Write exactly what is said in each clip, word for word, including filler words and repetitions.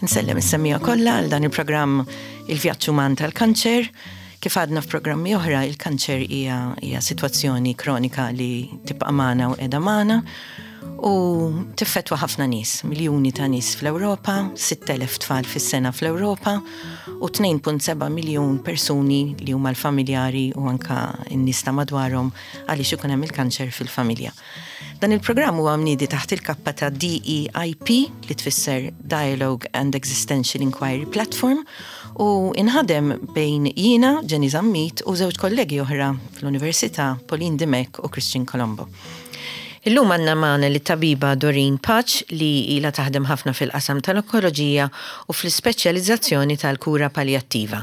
Nsellem is-semmiegħa kollha għal dan il-programm Il-Vjaġġ Uman tal-Kanċer. Kif għadna f'programmi oħra, il-kanċer hija hija sitwazzjoni kronika li tibqa' magħna u qiegħda magħna u tiffetwa ħafna nies, miljuni ta' nies fl-Ewropa, sitt elef tfal fis-sena fl-Ewropa u tnejn punt sebgħa miljun persuni li huma l-familjari u anka n-nies ta' madwarhom għaliex ikun hemm il-kanċer fil-familja. Dan il-programm huwa mniedi taħt il-kappa ta' D E I P, li tfisser Dialogue and Existential Inquiry Platform, u inħadem bejn jiena, Jenny Zammit, u żewġ kollegi oħra fl-Università, Pauline Dimech u Christian Colombo. Illum għandna magħna lit-tabiba Doreen Pace, li ila taħdem ħafna fil-qasam tal-onkoloġija u fl-ispeċjalizzazzjoni tal-kura paljattiva.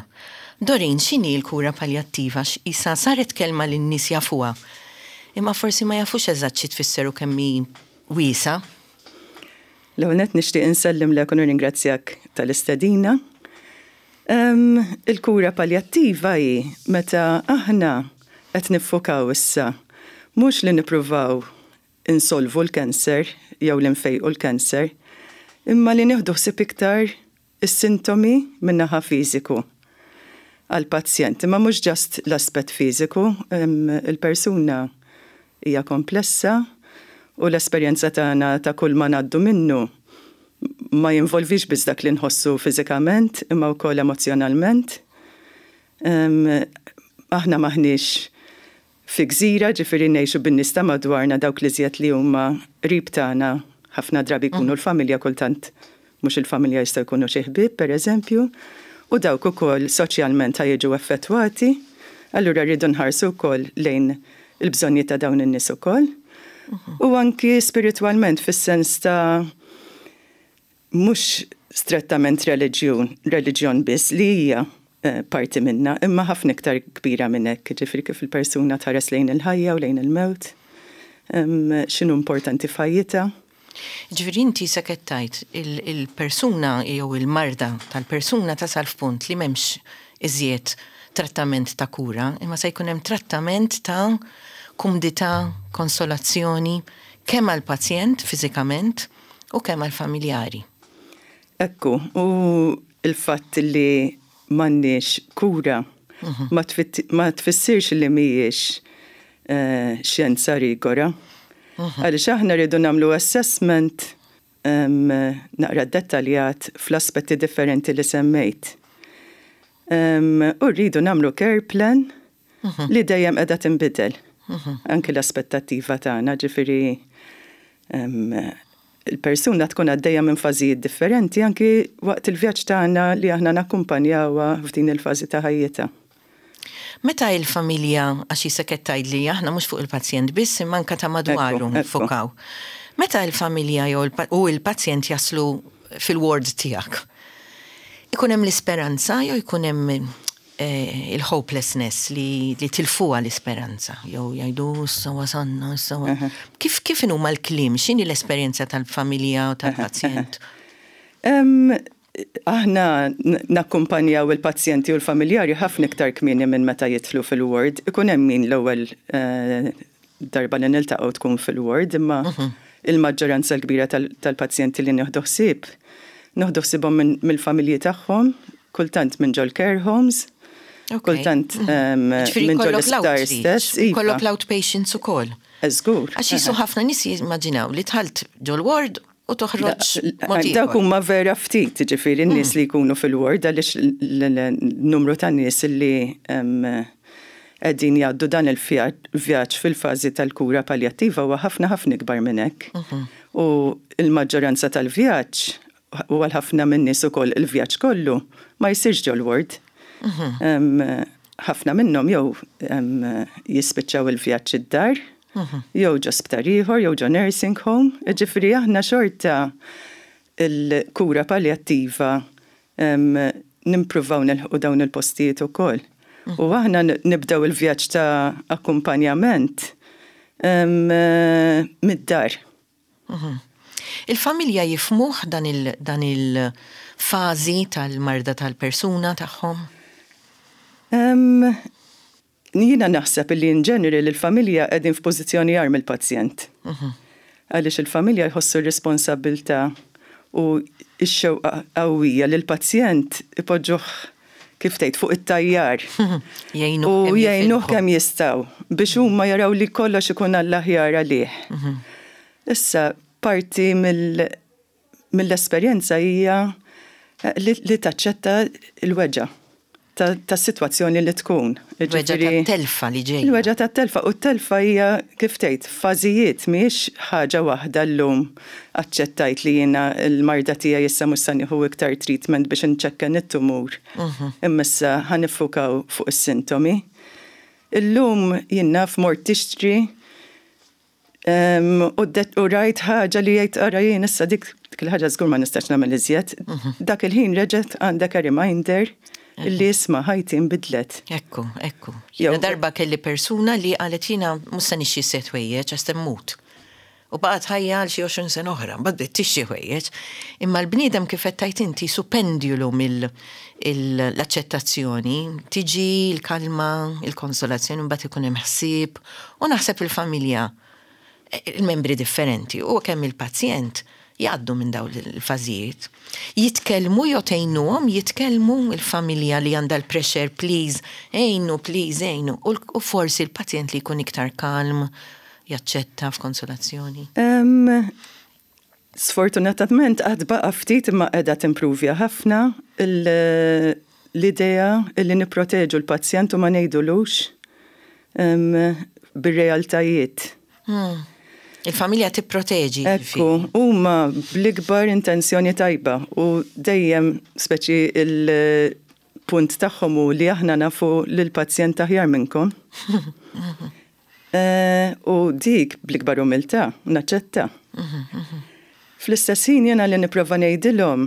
Doreen, x'inhi l-kura paljattiva? Issa saret kelma li n-nies jafuha. Imma forsi ma jafux eżatt xi tfisser u kemm hi wiesgħa. L-ewwel nixtieq insellimlek u nirringrazzjak tal-istedina. Um, il-kura paljattiva hi meta aħna qed niffukaw issa mhux li nippruvaw insolvu l-kanser jew li nfejqu l-kanser, imma li nieħdu ħsieb iktar is-sintomi min-naħa fiżiku għal-pazjent. Imma mhux just l-aspett fiżiku, il-persuna hija komplessa u l-esperjenza tagħna ta' kull ma ngħaddu minnu ma jinvolvix biss dak li nħossu fiżikament imma wkoll emozjonalment. Aħna maħniex fi gżira, ġifieri ngħixu bin-nies ta' madwarna, dawk li żjed li huma qrib tagħna, ħafna drabi jkunu l-familja, kultant mhux il-familja, jista' jkunu xi ħbieb, pereżempju, u dawk ukoll soċjalment jiġu effettwati, allura rridu nħarsu wkoll lejn il-bżonnijiet ta' dawn in-nies ukoll. U anki spiritwalment, fis-sens ta' mhux strettament reliġjon, reliġjon biss li hija eh, parti minna, imma ħafna iktar kbira minn hekk, ġifieri kif il-persuna tħares lejn il-ħajja u lejn il-mewt, x'inhu importanti f'ħajjitha. Ġifieri inti sekettajt il-persuna jew il-marda tal-persuna tasal f'punt li m'hemmx iżjed trattament ta' kura, imma se jkun hemm trattament ta' kumdità, konsolazzjoni, kemm għal-pazjent fiżikament u kemm għal-familjari. Ekku, u il-fatt li m'għandniex kura ma tfissirx li mhijiex eh, xjenza rigora. Għaliex aħna rridu nagħmlu assessment naqra dettaljat fl-aspetti differenti li semmejt. U rridu nagħmlu care plan li dejjem qiegħda tinbidel. Anki l-aspettattiva tagħna, ġifieri il-persuna tkun għaddejja minn fażijiet differenti anki waqt il-vjaġġ tagħna li aħna nakkumpanjawha f'din il-fażi ta' ħajjitha. Meta il-familja, għax jisek li aħna mhux fuq il-pazjent biss, imma anka ta' madwaru niffukaw. Meta il-familja u il-pazjent jaslu fil-ward tiegħek, ikun hemm l-isperanza jew ikun hemm eh, il-hopelessness li, li tilfuha l-isperanza, jew jgħidu "issa wasanna, issa". Kif kif huma l-kliem, x'inhi l-esperjenza tal-familja u tal-pazjent? Aħna nakkumpanjaw il-pazjenti u l-familjari ħafna iktar kmieni minn meta jidħlu fil-ward. Ikun hemm min l-ewwel eh, darba li niltaqgħu tkun fil-ward, imma mhm. il-maġġoranza l-kbira tal-pazjenti li nieħdu ħsieb, nieħdu ħsiebhom mill-familji tagħhom, kultant minn ġol care homes, kultant mhm. minn ġol isptar stess. Iva. Kollok l-outpatients ukoll. Żgur. Għax jisu ħafna nies jimmaġinaw li dħalt ġol ward u toħroġ. Dawk huma vera ftit, ġifieri n-nies li jkunu fil-ward, għaliex l-numru ta' nies li qegħdin jgħaddu dan il-vjaġġ fil-fażi tal-kura paljattiva huwa ħafna ħafna ikbar minn hekk. Mhm. U l-maġġoranza tal-vjaġġ, u għal ħafna minn nies ukoll il-vjaġġ kollu ma jsirx ġol-ward. Mhm. Ħafna minnhom jew jispiċċaw il-vjaġġ id-dar, mhm. jew ġo sptar ieħor, jew ġo nursing home. Ġifieri aħna xorta il-kura paljattiva nimpruvaw nilħqu dawn il-postijiet ukoll. U aħna nibdew il-vjaġġ ta' akkumpanjament mid-dar. Mhm. Il-familja jifhmuh dan il-fażi tal-marda tal-persuna tagħhom? Jiena naħseb li in general il-familja qegħdin f'pożizzjoni agħar mill-pazjent. Mhm. Għaliex il-familja jħossu r-responsabbiltà u ix-xewqa qawwija li l-pazjent ipoġġuh, kif tgħid, fuq it-tajjar. Jgħinuh U kemm jgħinuh jifilħu. kemm jistgħu biex huma jaraw li kollox ikun għall-aħjar għalih. Issa parti mill- mill-esperjenza hija eh, li, li taċċetta l-weġgħa ta' ta' situazzjoni li tkun. Weġgħa Ġifieri- ta' telfa li ġejja. Il-weġgħa ta' telfa u t-telfa hija, kif tgħid, fażijiet, mhijiex ħaġa waħda. Llum aċċettajt li jiena l-marda tiegħi, issa mhux se nieħu iktar treatment biex inċekken it-tumur. Imma issa ħa niffukaw fuq is-sintomi. Illum jien naf mort tixtri em, u det- u rajt ħaġa li jgħid, "Ara, jien issa dik dik il-ħaġa żgur ma nistax nagħmel iżjed." Dak il-ħin reġgħet għandek a reminder illi, isma', ħajti nbidlet. Ekku, ekku. Jew- Jiena darba kelli persuna li qalet, "Jiena mhux se nixtri iżjed ħwejjeġ għax mmut." U baqgħet ħajja għal xi għoxrin sena oħra, mbagħad bdiet tixtri ħwejjeġ. Imma l-bniedem, kif qed tgħid inti, su pendulu mill-aċċettazzjoni, tiġi l-kalma, il-konsolazzjoni, mbagħad ikun hemm ħsieb u naħseb il-familja, il-membri differenti u kemm il-pazjent jgħaddu minn dawn il-fażijiet. Jitkellmu jew tgħinuhom jitkellmu, il-familja li għandha l-pressure, "Please, għinu, please, għinu." U l- U forsi l-pazjent li jkun iktar kalm, jaċċetta f'konsolazzjoni. Um, sfortunatament għad baqa ftit, imma qiegħda timpruvja ħafna il- l-idea illi nipproteġu l-pazjent u ma ngħidulux um, bir-realtajiet. Hmm. Il-familja tipproteġi. Ekku, huma bl-ikbar intenzjoni tajba u dejjem speċi il-punt tagħhom hu li aħna nafu lill-pazjent aħjar minnkom. Eh, U dik bl-ikbar umiltà naċċetta. Fl-istess ħin jena li nipprova ngħidilhom,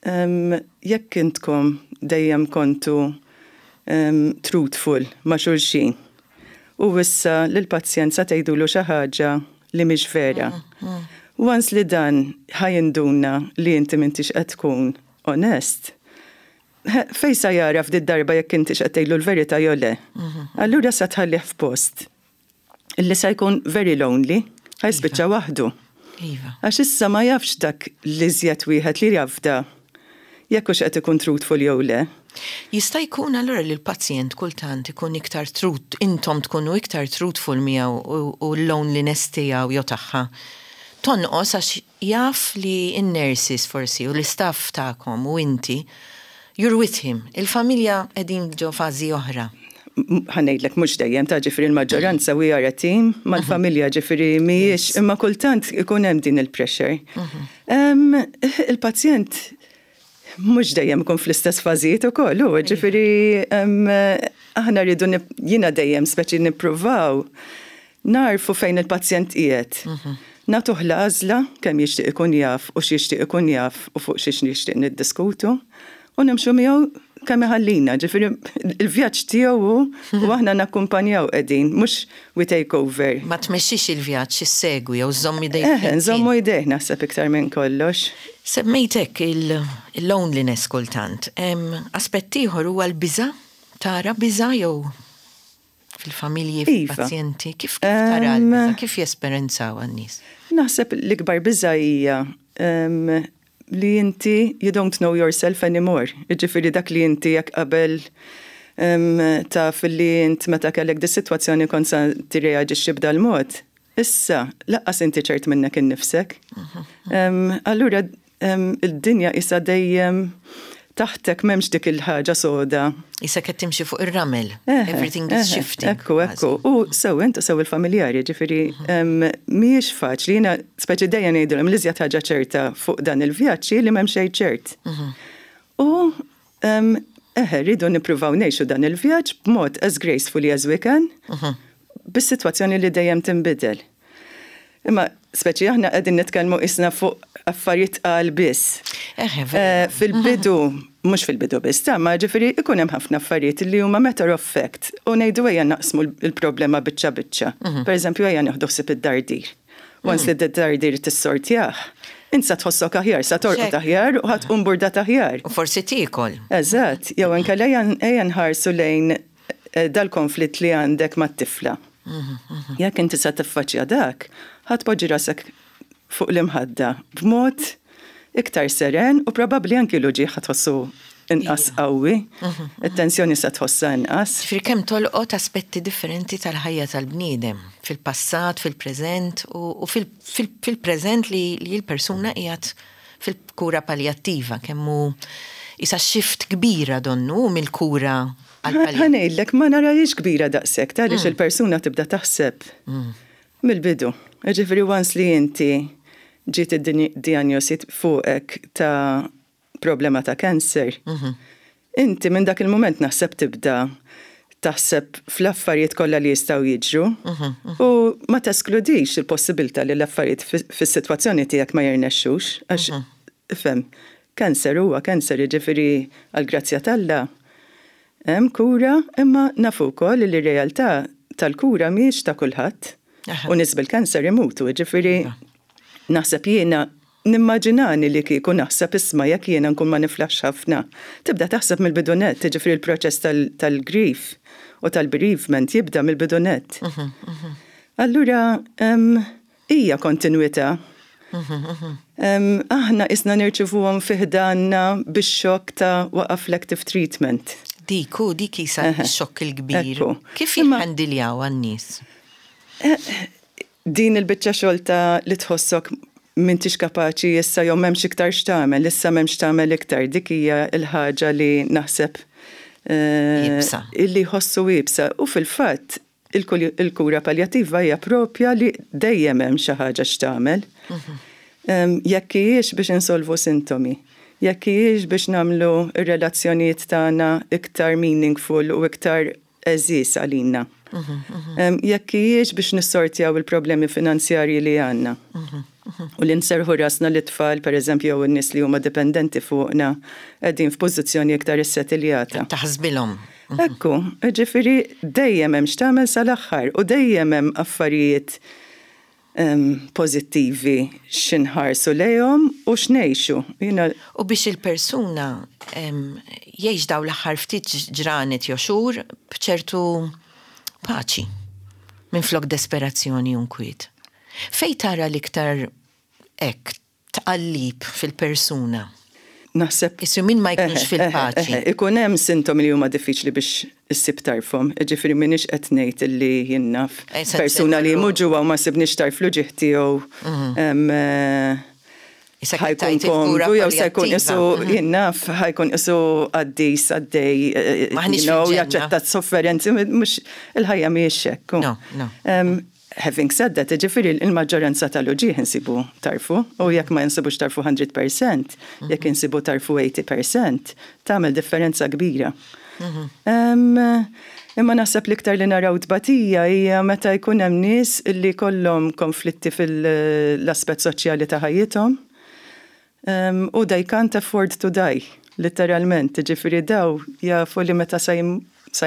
em, jekk intkom dejjem kontu em, truthful ma' xulxin u issa lill-pazjent sa tgħidulu xi ħaġa li mhix vera. Once li dan ħa jinduna li inti m'intix qed tkun onest, fejn sa jara f'did darba jekk inti qed tgħidlu l-verità jew le? Allura sa tħallih f'post illi sa jkun very lonely, ħa jispiċċa waħdu. Iva. Għax issa ma jafx dak li żjed wieħed li jafda jekk hux qed ikun truthful jew le. Jista' jkun allura li l-pazjent kultant ikun iktar truth, intom tkunu iktar truthful miegħu u, u l-loneliness tiegħu jew tagħha tonqos għax jaf li n-nurses forsi u l-istaff tagħkom u inti, you're with him. Il-familja qegħdin ġo fażi oħra. Ħa ngħidlek, mhux dejjem ta', ġifieri l-maġġoranza we are a team mal-familja, ġifieri mhijiex, imma kultant ikun hemm din il-pressure. Em, Il-pazjent mhux dejjem ikun fl-istess fażijiet ukoll, u ġifieri em, aħna rridu nip- jiena dejjem speċi nippruvaw narfu fejn il-pazjent qiegħed. Nagħtuh l-għażla kemm jixtieq ikun jaf u x'jixtieq ikun jaf u fuq xiex nixtieq niddiskutu u nimxu miegħu kemm iħallina, ġifieri il-vjaġġ tiegħu hu u aħna nakkumpanjaw qegħdin, mhux we take over. Ma tmexxix il-vjaġġ, issegwi jew żomm idejk. Eh, nżommu idejh naħseb iktar minn kollox. Semmejtek il-loneliness kultant. Em, Aspett ieħor huwa l-biża', tara biża' jew fil-familji, Iva. fil-pazjenti, kif kif tara Em, l-biża', kif jesperjenzaw għan-nies? Naħseb l-ikbar biża hija em, li inti you don't know yourself anymore. Ġifieri dak li inti jekk qabel em, taf li int meta kellek di situazzjoni kont sa tirreaġixxi b'dal-mod. Issa, lanqas inti ċert minnek innifsek. Em, Allura, em, id-dinja issa dejjem taħtek, m'hemmx dik il-ħaġa soda. Issa qed timxi fuq ir-ramel. Eħe, Everything is eħe, shifting. Ekku, ekku. U sew int u sew il-familjari, ġifieri, em, mhijiex faċli, jiena speċi dejjem ngħidulhom li iżjed ħaġa ċerta fuq dan il-vjaġġ li m'hemm xejn ċert. U em, eħe, rridu nippruvaw ngħixu dan il-vjaġġ b'mod as gracefully as we can, bis-sitwazzjoni li dejjem tinbidel. Imma speċi aħna qegħdin nitkellmu isna fuq affarijiet għal biss. Eħe, Eh, vera. Fil-bidu, mhux fil-bidu biss, ta' ma ġifieri ikun hemm ħafna affarijiet li huma matter of fact u ngħidu ejja naqsmu l-problema biċċa biċċa. Per eżempju, ejja nieħdu ħsieb id-dardir. Once li d-dardir tissortjah, int sa tħossok aħjar, sa torqod Check. aħjar u ħa tqum burdat aħjar. U forsi tiekol. Eżatt, jew inkella ejja ejja nħarsu lejn eh, dal-konflitt li għandek mat-tifla. Jekk inti sa tiffaċċja dak, ħa tpoġġi rasek fuq l-imħadda b'mod iktar seren u probabbli anki l-uġigħ tħossu inqas qawwi, it-tensjoni se tħossha inqas. Ġifieri kemm tolqot aspetti differenti tal-ħajja tal-bniedem, fil-passat, fil-preżent u fil-preżent li l-persuna qiegħed fil-kura paljattiva, kemm hu isa shift kbira donnu mill-kura. Ħa ngħidlek, ma narahiex kbira daqshekk, għaliex mm. il-persuna tibda taħseb mm. mill-bidu. Ġifieri once li inti ġiet id-diagnosi fuqek ta' problema ta' cancer, mhm. inti minn dak il-moment naħseb tibda taħseb fl-affarijiet kollha li jistgħu jiġru mhm, mhm. u ma teskludix il-possibilità li l-affarijiet fis-sitwazzjoni tiegħek ma jirnexxux, għax ifhem, cancer huwa cancer, jiġifieri għall-grazzja t'Alla hemm kura, imma nafu wkoll li r-realtà tal-kura mhijiex ta' kulħadd. U nies bil-cancer imutu, jiġifieri naħseb jiena nimmaġinani li kieku naħseb, isma', jekk jiena nkun ma niflaħx ħafna. Tibda taħseb mill-bidu nett, jiġifieri l-proċess tal-grief u tal-bereavement jibda mill-bidu nett. Mhm, mhm. Allura hija kontinuità. Mhm, aħna isna nirċivuhom fi ħdanna bix-xokk ta' waqaf l-active treatment. Dik, u dik isa x-xokk il-kbir. Kif jikhandiljaw għan-nies? Eh, din il-biċċa xogħol ta' li tħossok m'intix kapaċi issa jew m'hemmx iktar x'tagħmel, issa m'hemmx tagħmel iktar, dik hija l-ħaġa li naħseb eh, illi jħossu iebsa. U fil-fatt il-kura paljattiva hija propja li dejjem hemm xi ħaġa x'tagħmel. Mhm. Jekk hijiex biex insolvu sintomi, jekk hijiex biex nagħmlu ir-relazzjonijiet tagħna iktar meaningful u iktar għeżież għalina. Mhm, Jekk hijiex biex nissortjaw il-problemi finanzjarji li għandna. Mhm, U li nserħu rasna li tfal, per eżempju, jew n-nies li huma dipendenti fuqna, qegħdin f'pożizzjoni iktar issettiljata. Taħsbilhom. Ekku, ġifieri dejjem hemm x'tagħmel sal-aħħar u dejjem hemm affarijiet pożittivi x'inħarsu lejhom u x'ngħixu. U biex il-persuna jgħix daw l-aħħar ftit ġranet jew xhur b'ċertu paċi minn flok desperazzjoni u nkwiet. Fej tara l-iktar hekk tqallib fil-persuna? Naħseb. Issu min ma jkunx fil-paċi. Ikun hemm sintomi li huma diffiċli biex issib tarfhom. Ġifieri m'iniex qed ngħid illi jien naf Eh, persuna li muġugħa u ma sibniex tarf l-uġigħ tiegħu Mhm. eh, ħa jkun komdu, jew se jkun isu mhm. jien naf ħa jkun isu qaddis għaddej, eh, jaċċetta sofferenzi, mhux il-ħajja mhijiex hekk. No, no. Having said that, ġifieri il-maġġoranza tal-uġigħ insibu tarfu, u jekk ma insibux tarfu mija fil-mija, mhm. jekk insibu tarfu tmenin fil-mija, tagħmel differenza kbira. Mhm. Imma naħseb l-iktar li naraw tbatija hija meta jkun hemm nies li kollhom konflitti fil-aspett soċjali ta' ħajjithom u they can't afford to die, literalment. Ġifieri daw jafu li meta sa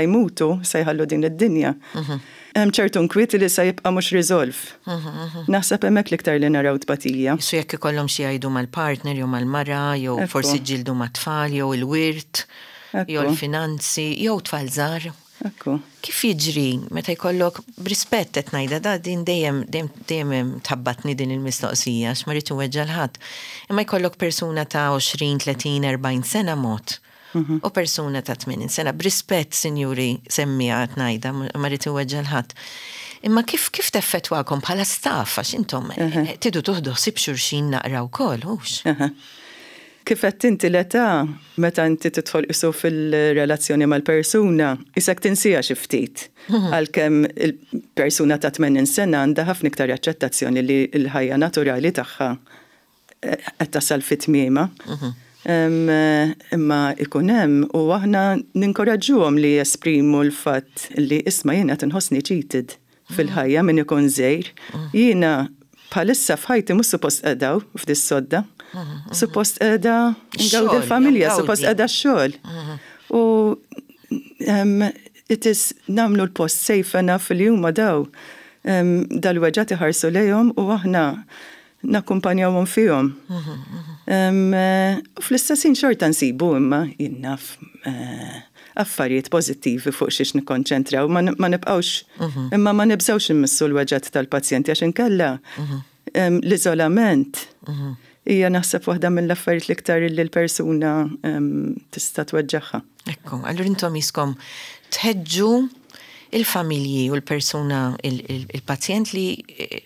jmutu, sa jħallu din id-dinja. Mhm. Hemm ċertu nkwiet li sa jibqa' mhux resolve. Mhm, mhm. Naħseb hemmhekk l-iktar li naraw tbatija. Su jekk ikollhom xi jgħidu mal-partner jew mal-mara jew forsi ġildu mat-tfal jew il-wirt jew il-finanzi jew tfal żgħar. Ekku. Kif jiġri meta jkollok, b'rispett qed ngħidha da din, dejjem dejjem tħabbatni din il-mistoqsija għax ma rridx inweġġa' ħadd. Imma jkollok persuna ta' għoxrin, tletin, erbgħin sena mod mhm. u persuna ta' tmenin sena. B'rispett, sinjuri, semmija qed ngħidha, ma rrid inweġġa' ħadd. Imma kif kif teffettwakom bħala staff, għax intom tridu tieħdu ħsieb xulxin naqra wkoll, hux? Kif qed inti, l-età, meta inti tidħol isu fil-relazzjoni mal-persuna, isek tinsija xi ftit. Mhm. Għalkemm il-persuna ta' tmenin sena għandha ħafna iktar aċċettazzjoni li l-ħajja naturali tagħha eh, qed tasal fi tmiema. Mhm. Imma ikun hemm u aħna ninkoraġġuhom li jesprimu l-fatt li, isma', jiena tinħossni cheated fil-ħajja min ikun żgħir. Mhm. Jiena bħalissa f'ħajti mhux suppost qiegħda f'dis-sodda. Suppost qiegħda ngawdi l-familja, suppost qiegħda x-xogħol. U it is nagħmlu l-post safe enough li huma daw dal-weġgħat iħarsu lejhom u aħna nakkumpanjawhom fihom. U fl-istessin xorta nsibu imma jien naf eh, affarijiet pożittivi fuq xiex nikkonċentraw, ma nibqawx, imma ma nibżawx immissu l-weġgħat tal-pazjenti għax inkella l-iżolament Hija naħseb waħda mill-affarijiet l-iktar li l-persuna tista' tweġġagħha. Ekku, allura intom jiskom tħeġġu il-familji u l-persuna, il-pazjent li, eh,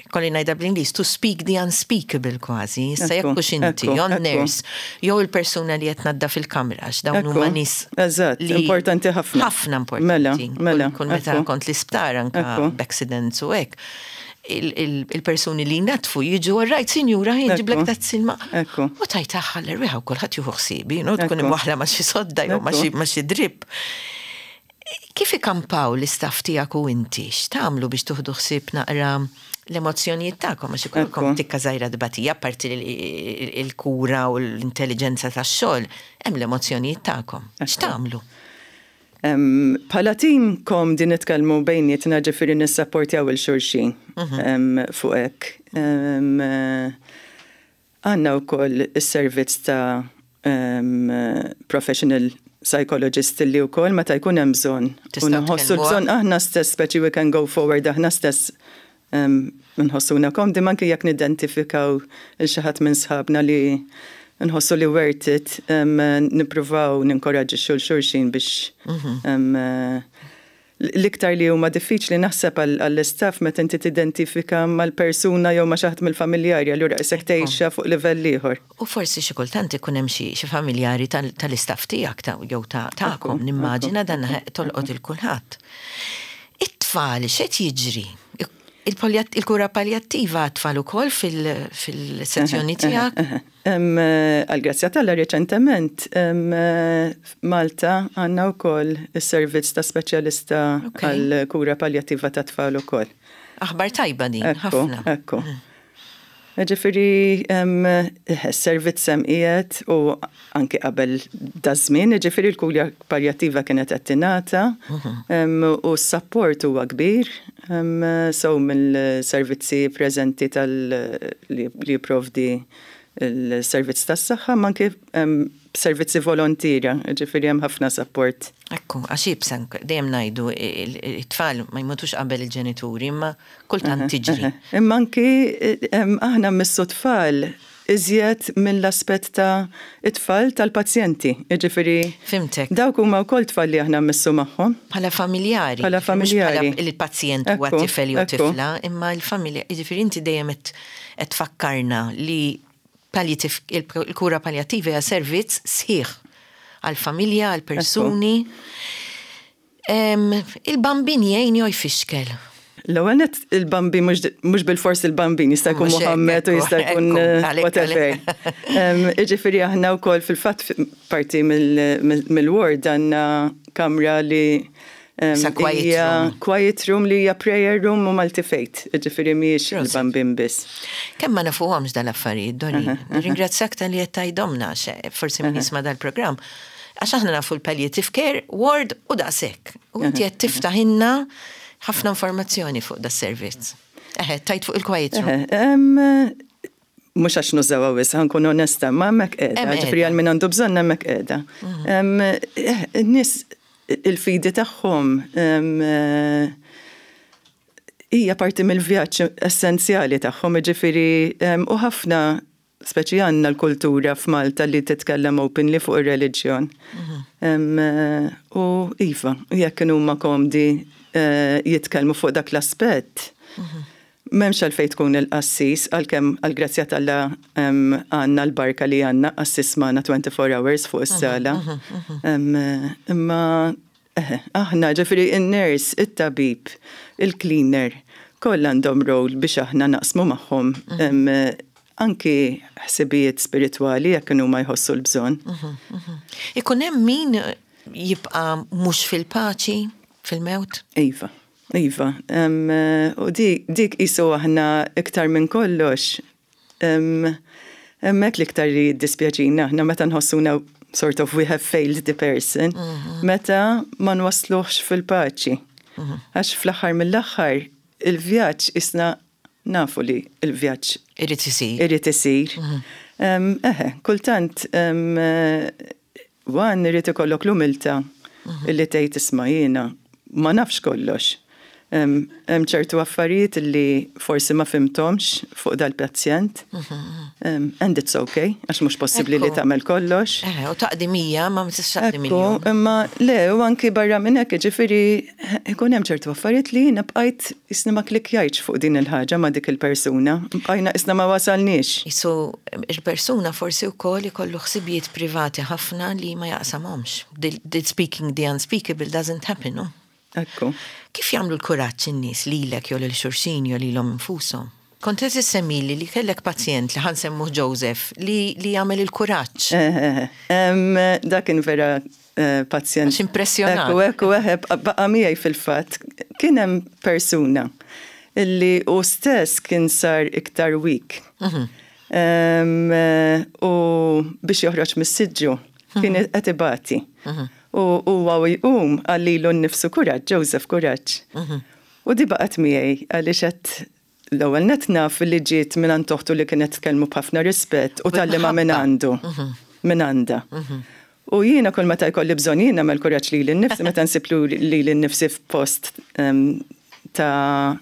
kolli ngħidha bl-Ingliż, to speak the unspeakable kważi. Issa jekk hux inti, jew nurse, jew il-persuna li qed tnaddaf il-kamra, dawn huma nies. Eżatt, importanti ħafna. Ħafna importanti. Mela, mela. Kull meta kont l-isptar anka b'accidents u hekk, il-persuni li jnaddfu jiġu, "Right, sinjura, ġiblek tazza ilma." U tajt l-erwieħa u kulħadd jieħu ħsiebi, no, tkun imwaħla ma' xi sodda jew ma' xi drip. Kif ikampaw l-istaff tiegħek u inti? X'tagħmlu biex tieħdu ħsieb naqra l-emozzjonijiet tagħkom, għax ikolkom tikka żgħira tbatija, parti il-kura u l-intelligenza tax-xogħol, hemm l-emozzjonijiet tagħkom. X'tagħmlu? Bħala tim komdi nitkellmu bejnietna, ġifieri nissapportjaw 'il xulxin mhm. fuq hekk. Għandna wkoll is-servizz ta' professional psychologist li wkoll meta jkun hemm bżonn. U nħossu bżonn aħna stess, speċi we can go forward aħna stess, nħossuna komdi anke jekk nidentifikaw 'il xi ħadd minn sħabna li nħossu li worth it, nippruvaw ninkoraġġixxu 'l xulxin biex mhm. L-iktar li huma diffiċli naħseb għall-istaff meta inti tidentifika mal-persuna jew ma' xi ħadd mill-familjari, allura isek tgħixha fuq livell ieħor. U forsi xi kultant ikun hemm xi familjari tal-istaff tiegħek jew tagħkom, nimmaġina dan tolqot 'il kulħadd. It-tfal x'qed jiġri? Il-kura paljattiva tfal ukoll fil-sezzjoni tiegħek? Għal-grazzja t'Alla reċentement Malta għandna wkoll is-servizz ta' speċjalista għal-kura paljattiva ta' tfal ukoll. Aħbar tajba din, ħafna. Ekku. Ġifieri, servizz hemm qiegħed u anki qabel daż-żmien, ġifieri l-kura paljattiva kienet qed tingħata u s-support huwa kbir, so mill-servizzi preżenti tal li jipprovdi il-servizz tas-saħħa, ma anke servizzi volontiera, ġifieri hemm ħafna support. Ekku, għax ibsa dejjem ngħidu it-tfal ma jmutux qabel il-ġenituri, imma kultant tiġri. Imma anki aħna mmissu tfal iżjed mill-aspett ta' it-tfal tal-pazjenti. Ġifieri. Fhimtek. Dawk huma wkoll tfal li aħna mmissu magħhom. Bħala familjari. Bħala familjari. Il-pazjent huwa tifel jew tifla, imma l-familja, ġifieri inti dejjem qed tfakkarna li il-kura paljattiva hija servizz sħiħ għal-familja, għal-persuni. Il-Bambin jgħin jew jfixkel? L-ewwel nett il-Bambin mhux bil-fors il-Bambin, jista' jkun Muhammed u jista' jkun eh, whatever. Jiġifieri aħna wkoll fil-fatt parti mill-ward għandna kamra li quiet room. Quiet room li hija prayer room u multi-faith, ġifieri mhijiex il-Bambin biss. Kemm ma nafuhomx dal-affarijiet, Dori. Ringrazzjak talli qed tgħidhomlna, forsi min jisma' dal-programm. Għax aħna nafu l-palliative care ward u daqshekk. U inti qed tiftaħilna ħafna informazzjoni fuq das-servizz. Eħe, tgħid fuq il-quiet room. Mhux għax nużawha wisq, ħa nkun onesta, ma hemmhekk qiegħda, ġifieri għal min għandu bżonn hemmhekk qiegħda. In-nies il-fidi tagħhom hija parti mill-vjaġġ essenzjali tagħhom, ġifieri u ħafna speċi għandna l-kultura f'Malta li titkellem openly fuq ir-reliġjon. U iva, jekk huma komdi eh, jitkellmu fuq dak l-aspett, m'hemmx għalfejn tkun il-qassis, għalkemm għal-grazzja t'Alla għandna l-barka li għandna qassis magħna twenty-four hours fuq is-sala. Imma aħna ġifieri in-nurse, it-tabib, il-cleaner, kollha għandhom role biex aħna naqsmu magħhom anki ħsibijiet spiritwali jekk huma jħossu l-bżonn. Ikun hemm min jibqa' mhux fil-paċi fil-mewt? Iva. Iva, u dik qisu aħna iktar minn kollox, hemmhekk l-iktar li jiddispjaċina aħna meta nħossuna sort of we have failed the person, mhm. meta ma nwasluhx fil-paċi. Mhm. Għax fl-aħħar mill-aħħar il-vjaġġ isna nafu li il-vjaġġ irid isir. Irid isir. Mhm. Eħe, kultant wan irid ikollok l-umiltà illi tgħid, "Isma', jiena ma nafx kollox." Hemm ċertu affarijiet li forsi ma fhimthomx fuq dal-pazjent. And it's okay, għax mhux possibbli li tagħmel kollox. Eh, u taqdi mija, ma tistax taqdi miljun. Imma le, u anki barra minn hekk, ġifieri ikun hemm ċertu affarijiet li jiena bqajt isni ma klikjajtx fuq din il-ħaġa ma' dik il-persuna. Bqajna isna ma wasalniex. Isu il-persuna forsi wkoll ikollu ħsibijiet privati ħafna li ma jaqsamhomx. The speaking the unspeakable doesn't happen, no? Ekku. Kif jagħmlu l-kuraġġ in-nies lilek jew lil xulxin jew lilhom infushom? Kont qed issemmili li kellek pazjent li ħa nsemmuh Joseph li li jagħmel il-kuraġġ. Dak kien vera eh, pazjent. Għax impressjonat. Ekku, ekku, eħe, baqa' miegħi fil-fatt. Kien hemm persuna illi u stess kien sar iktar weak. Mhm. U biex joħroġ mis-siġġu kien mhm. qed ibati. Mhm. U huwa jqum qal lilu nnifsu kuraġġ, Joseph kuraġġ. Mhm. U di baqgħet miegħi għaliex qed l-ewwel net naf li ġiet minn għand oħtu li kienet tkellmu b'ħafna rispett u tgħallimha minn għandu, mhm. minn għandha. Mhm. U jiena kull meta jkolli bżonn jiena nagħmel kuraġġ lili nnifsi meta nsib lili nnifsi f'post ta'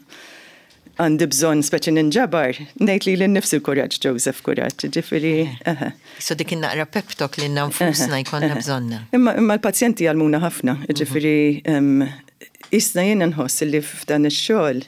għandi bżonn speċi ninġabar, ngħid lili nnifsi l-kuraġġ, Joseph kuraġġ, ġifieri. So dik naqra pep talk li nfusna jkollna bżonna. Imma l-pazjenti jgħallmuna ħafna, ġifieri isna jiena nħoss li f'dan ix-xogħol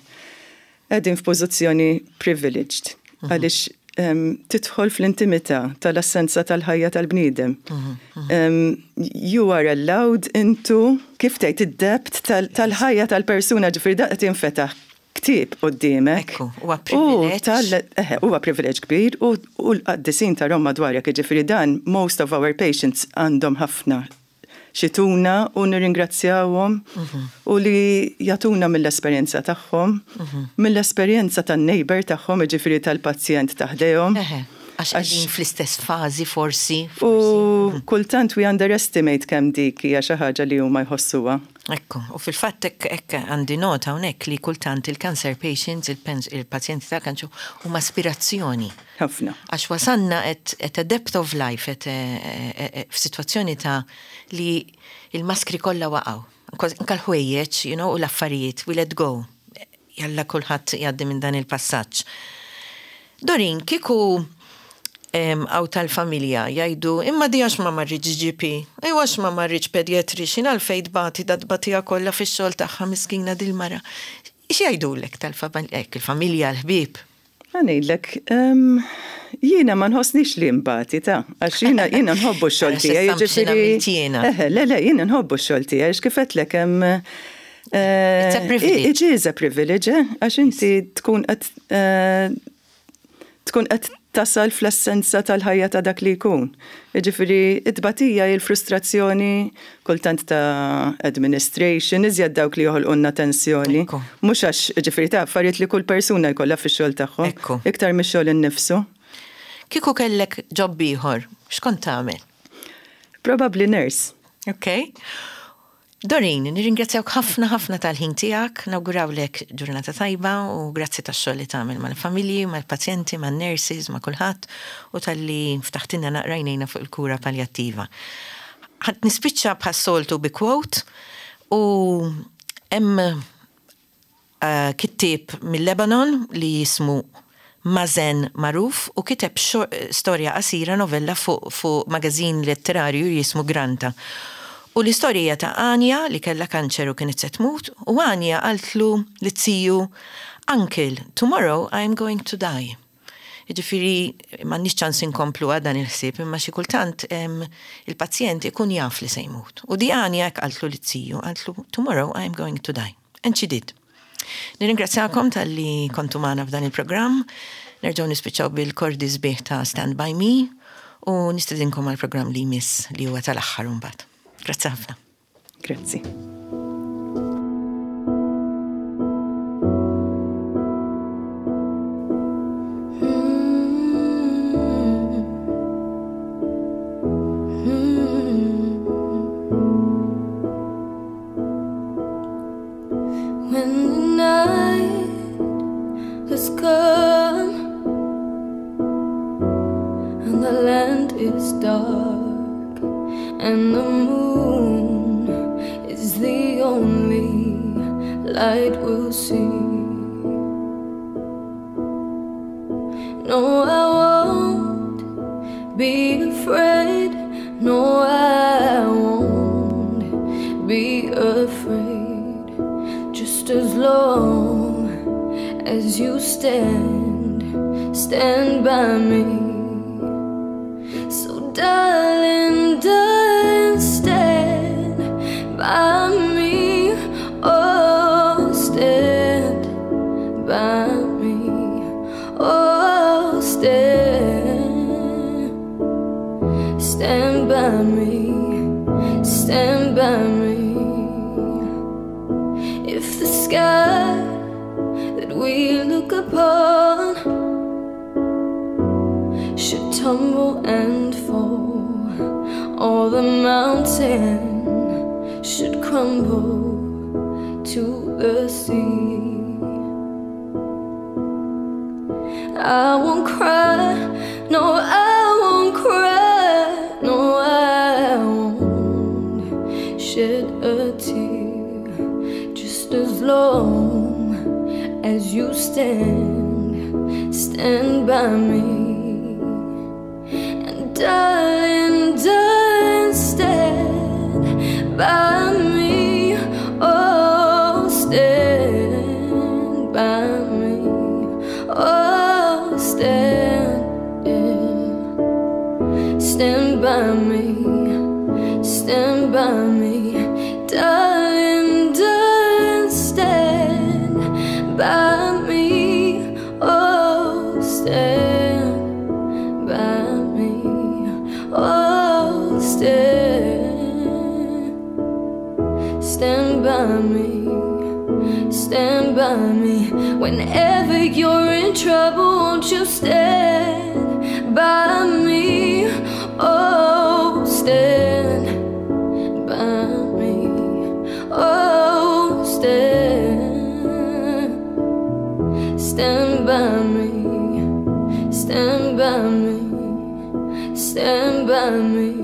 qegħdin f'pożizzjoni privileged mhm. għaliex tidħol fl-intimità tal-essenza tal-ħajja tal-bniedem. Mhm, mhm. You are allowed into, kif tgħid, id-depth tal-ħajja tal-persuna, ġifieri daqt jinfetaħ ktieb quddiemek. Ekku, huwa privileġġ. Huwa privileġġ kbir u l-qaddisin ta' Roma madwarek, ġifieri dan most of our patients għandhom ħafna x'jtuna u nirringrazzjawhom mhm. u li jagħtuna mill-esperjenza tagħhom, mhm. mill-esperjenza tan-neighbor tagħhom, ġifieri tal-pazjent ta' ħdejhom. Għax qegħdin fl-istess fażi forsi. U mhm. kultant we underestimate kemm dik hija xi ħaġa li huma jħossuha. Ekku, u fil-fatt hekk għandi nota hawnhekk li kultant il-cancer patients, il-pazjenti ta' kanċu huma aspirazzjoni. Ħafna. Għax wasanna at, at a depth of life, at f'sitwazzjoni ta' li il-maskri kollha waqgħu. Anka l-ħwejjeġ, you know, u l-affarijiet, we let go. Jalla kulħadd jgħaddi minn dan il-passaġġ. Doreen, kieku hawn tal-familja jgħidu imma di għax ma marritx G P, ejwa għax ma marritx pediatrician, għalfejn tbati dat-tbatija kollha fix-xogħol tagħha miskina dil-mara. X'jgħidulek tal-familja, il-familja, l-ħbieb? Ngħidlek, jiena ma nħossnix li mbati ta' għax jiena jiena nħobbu x-xogħol tiegħi, ġifieri. Le, le, jiena nħobbu x-xogħol tiegħi, għax kif għedtlek hemm It's a privilege. It is a privilege, għax inti tkun qed tkun qed tasal fl-essenza tal-ħajja ta' dak li jkun. Jiġifieri it-tbatija, il-frustrazzjoni, kultant ta' administration, iżjed dawk li joħolqulna tensjoni. Mhux għax ġifieri ta' affarijiet li kull persuna jkollha fix-xogħol tagħhom. Iktar mix-xogħol innifsu. Kieku kellek job ieħor, x'kont tagħmel? Probably nurse. Okay. Doreen, nirringrazzjawk ħafna ħafna tal-ħin tiegħek, nawgurawlek ġurnata tajba u grazzi tax-xogħol li tagħmel mal-familji, mal-pazjenti, man-nurses, ma' kulħadd u talli ftaħtilna naqra għajnejna fuq il-kura paljattiva. Ħa nispiċċa bħas-soltu bi quote u hemm uh, kittieb mill-Lebanon li jismu Mazen Maruf u kiteb storja qasira, novella fuq fu magazin letterarju jismu Granta. U l-istorja ta' Anja li kella kanċer u kienet se tmut u Anja qaltlu liz-ziju, "Uncle, tomorrow I'm going to die." Ġifieri, m'għandniex ċans inkomplu dan il-ħsieb, imma xi kultant il-pazjent ikun jaf li se jmut. U di Anja qaltlu liz-ziju, qaltlu, "Tomorrow I'm going to die." And she did. Nirringrazzjakom talli kontu magħna f'dan il-programm. Nerġgħu nispiċċaw bil-kordi sbieħ ta' Stand By Me u nistedinkom għal-programm li jmiss li huwa tal-aħħar mbagħad. Grazzi ħafna. Grazzi. When the night has come and the land is dark and the moon is the only light we'll see. No, I won't be afraid. No, I won't be afraid. Just as long as you stand, stand by me. So darling, darling, stand by me. Oh, stand by me. Oh, stand, stand by me, stand by me. If the sky that we look upon should tumble and fall, or the mountain should crumble to the sea, I won't cry, no, I won't cry, no, I won't shed a tear. Just as long as you stand, stand by me. And darling, darling, stand by me. Oh, stand by me. Oh, stand, yeah. Stand by me, stand by me. Darling, darling, stand by me. Oh, stand by me. Oh, stand, stand by me, stand by me. Whenever you're in trouble, won't you stand by me? Oh, stand by me. Oh, stand, stand by me, stand by me, stand by me.